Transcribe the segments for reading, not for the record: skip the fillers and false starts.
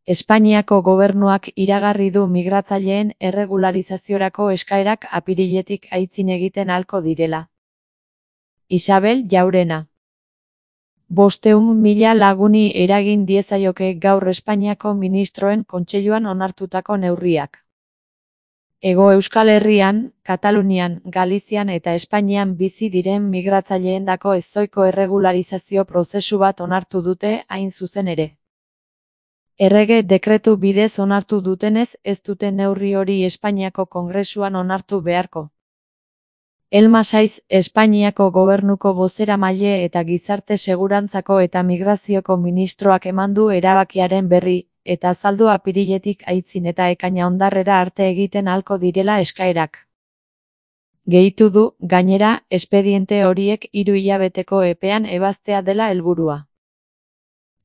Espainiako gobernuak iragarri du migratzaileen erregularizaziorako eskaerak apiriletik aitzin egiten ahalko direla. Isabel Llaurena. 500.000 laguni eragin diezaioke gaur Espainiako ministroen kontseiluan onartutako neurriak. Hego Euskal Herrian, Katalunian, Galizian eta Espainian bizi diren migratzaileentzako ezohiko erregularizazio prozesu bat onartu dute hain zuzen ere. Errege dekretu bidez onartu dutenez ez dute neurri hori Espainiako Kongresuan onartu beharko. Elma Saiz, Espainiako gobernuko bozeramaile eta gizarte segurantzako eta migrazioko ministroak eman du erabakiaren berri, eta azaldu apiriletik aitzin eta ekaina ondarrera arte egiten ahalko direla eskaerak. Gehitu du, gainera, espediente horiek 3 hilabeteko epean ebaztea dela helburua.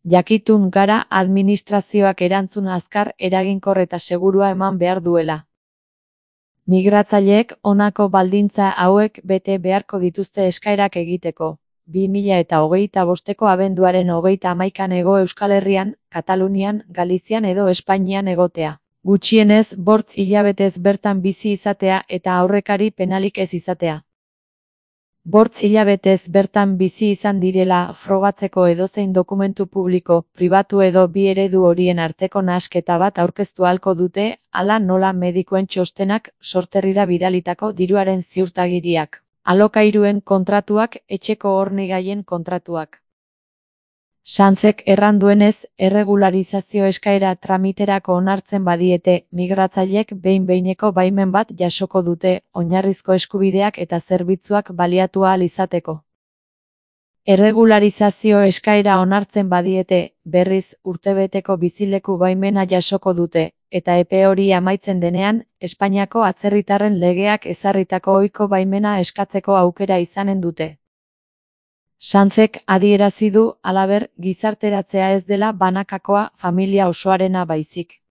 Jakitun gara administrazioak erantzun azkar, eraginkor eta segurua eman behar duela. Migratzaileek honako baldintza hauek bete beharko dituzte eskaerak egiteko. 2025ko abenduaren 31an Hego Euskal Herrian, Katalunian, Galizian edo Espainian egotea. Gutxienez 5 hilabetez bertan bizi izatea eta aurrekari penalik ez izatea. 5 hilabetez bertan bizi izan direla frogatzeko edozein dokumentu publiko, pribatu edo bi eredu horien arteko nahasketa bat aurkeztu ahalko dute, hala nola medikuen txostenak, sorterrira bidalitako diruaren ziurtagiriak. Alokairuen kontratuak, etxeko hornigaien kontratuak. Sanzek erran duenez, erregularizazio eskaera tramiterako onartzen badiete, migratzailek behin-behineko baimen bat jasoko dute, oinarrizko eskubideak eta zerbitzuak baliatu ahal izateko. Erregularizazio eskaera onartzen badiete, berriz, urtebeteko bizileku baimena jasoko dute, eta epe hori amaitzen denean, Espainiako atzerritarren legeak ezarritako ohiko baimena eskatzeko aukera izanen dute. Sanzek adierazi du, halaber, gizarteratzea ez dela banakakoa, familia osoarena baizik.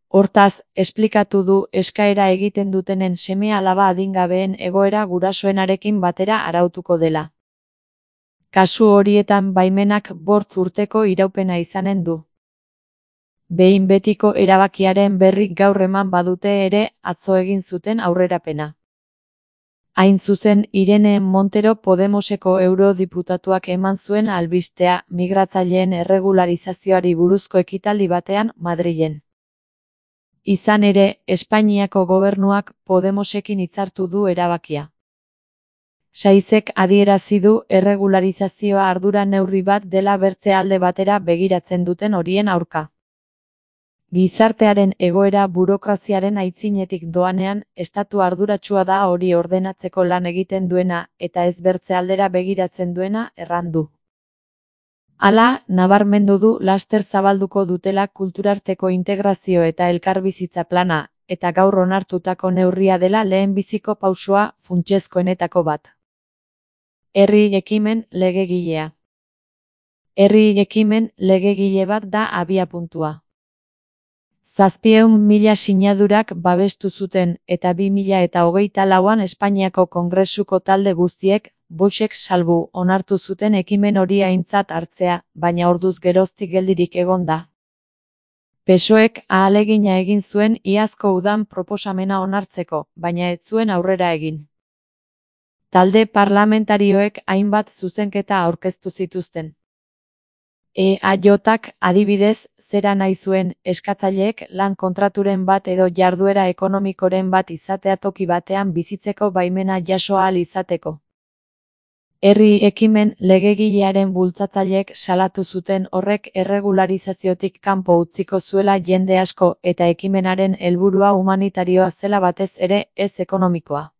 Hortaz, esplikatu du eskaera egiten dutenen seme-alaba adingabeen egoera gurasoenarekin batera arautuko dela. Kasu horietan baimenak 5 urteko iraupena izanen du. Behin betiko erabakiaren berri gaur eman badute ere, atzo egin zuten aurrerapena. Hain zuzen, Irene Montero Podemoseko eurodiputatuak eman zuen albistea migratzaileen erregularizazioari buruzko ekitaldi batean Madrilen. Izan ere, Espainiako gobernuak Podemosekin hitzartu du erabakia. Saizek adierazi du erregularizazioa ardura neurri bat dela bertze alde batera begiratzen duten horien aurka. Gizartearen egoera burokraziaren aitzinetik doanean, estatu arduratsua da hori ordenatzeko lan egiten duena eta ez bertze aldera begiratzen duena erran du. Hala, nabarmendu du laster zabalduko dutela kulturarteko integrazio eta elkarbizitza plana, eta gaur onartutako neurria dela lehenbiziko pausoa funtsezkoenetako bat. Herri ekimen legegilea. Herri ekimen legegile bat da abiapuntua. 700.000 sinadurak babestu zuten eta 2024an Espainiako Kongresuko talde guztiek, Voxek salbu, onartu zuten ekimen hori aintzat hartzea, baina orduz geroztik geldirik egon da. PSOEk ahalegina egin zuen iazko udan proposamena onartzeko, baina ez zuen aurrera egin. Talde parlamentarioek hainbat zuzenketa aurkeztu zituzten. EAJak, adibidez, zera nahi zuen, eskatzaileek lan kontraturen bat edo jarduera ekonomikoren bat izatea toki batean bizitzeko baimena jaso ahal izateko. Herri ekimen legegilearen bultzatzaileek salatu zuten horrek erregularizaziotik kanpo utziko zuela jende asko eta ekimenaren helburua humanitarioa zela batez ere ez ekonomikoa.